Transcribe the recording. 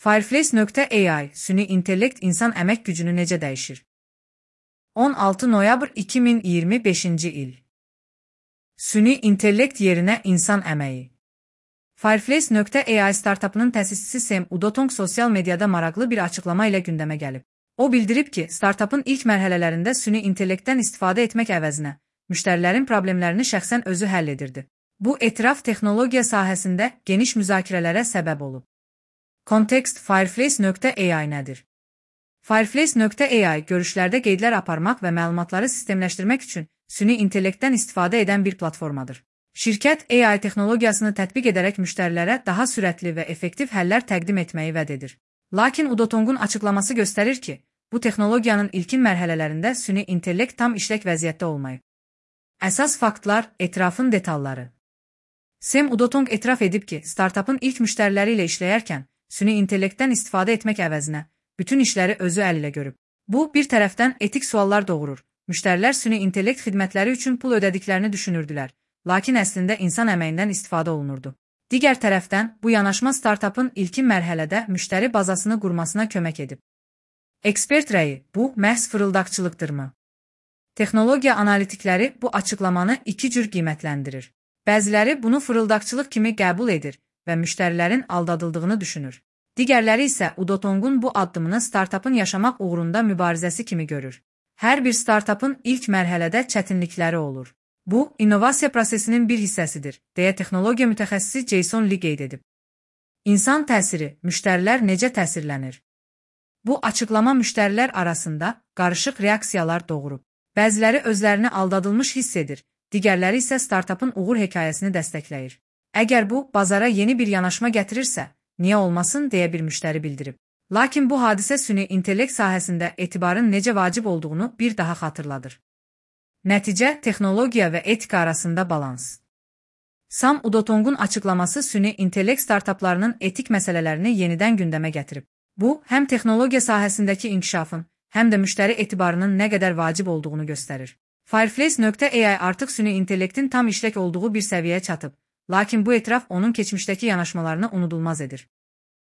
Fireflies.ai, süni intellekt insan əmək gücünü necə dəyişir? 16 noyabr 2025 il. Süni intellekt yerinə insan əməyi. Fireflies.ai startapının təsisçisi Sam Udotong sosial mediada maraqlı bir açıqlama ilə gündəmə gəlib. O bildirib ki, startapın ilk mərhələlərində süni intellektdən istifadə etmək əvəzinə, müştərilərin problemlərini şəxsən özü həll edirdi. Bu etiraf texnologiya sahəsində geniş müzakirələrə səbəb olub. Kontekst Fireflies.ai nədir? Fireflies.ai görüşlərdə qeydlər aparmaq və məlumatları sistemləşdirmək üçün süni intellektdən istifadə edən bir platformadır. Şirkət AI texnologiyasını tətbiq edərək müştərilərə daha sürətli və effektiv həllər təqdim etməyi vəd edir. Lakin Udotong'un açıqlaması göstərir ki, bu texnologiyanın ilkin mərhələlərində süni intellekt tam işlək vəziyyətdə olmayıb. Əsas faktlar, etirafın detalları. Sam Udotong etiraf edib ki, startapın ilk müştəriləri ilə işləyərkən süni intellektdən istifadə etmək əvəzinə bütün işləri özü əl ilə görüb. Bu, bir tərəfdən etik suallar doğurur. Müştərilər süni intellekt xidmətləri üçün pul ödədiklərini düşünürdülər, lakin əslində insan əməyindən istifadə olunurdu. Digər tərəfdən, bu yanaşma startapın ilkin mərhələdə müştəri bazasını qurmasına kömək edib. Ekspert rəyi, bu məhz fırıldaqçılıqdırmı? Texnologiya analitikləri bu açıqlamanı iki cür qiymətləndirir. Bəziləri bunu fırıldaqçılıq kimi qəbul edir və müştərilərin aldadıldığını düşünür. Digərləri isə Udotong'un bu addımını startapın yaşamaq uğrunda mübarizəsi kimi görür. Hər bir startapın ilk mərhələdə çətinlikləri olur. Bu, innovasiya prosesinin bir hissəsidir, deyə texnologiya mütəxəssisi Jason Lee qeyd edib. İnsan təsiri, müştərilər necə təsirlənir? Bu açıqlama müştərilər arasında qarışıq reaksiyalar doğurub. Bəziləri özlərini aldadılmış hiss edir, digərləri isə startapın uğur hekayəsini dəstəkləyir. Əgər bu, bazara yeni bir yanaşma gətirirsə, niyə olmasın deyə bir müştəri bildirib. Lakin bu hadisə süni intellekt sahəsində etibarın necə vacib olduğunu bir daha xatırladır. Nəticə, texnologiya və etika arasında balans. Sam Udotong'un açıqlaması süni intellekt startaplarının etik məsələlərini yenidən gündəmə gətirib. Bu, həm texnologiya sahəsindəki inkişafın, həm də müştəri etibarının nə qədər vacib olduğunu göstərir. Fireflies.ai artıq süni intellektin tam işlək olduğu bir səviyyəyə çatıb, lakin bu etiraf onun keçmişdəki yanaşmalarını unudulmaz edir.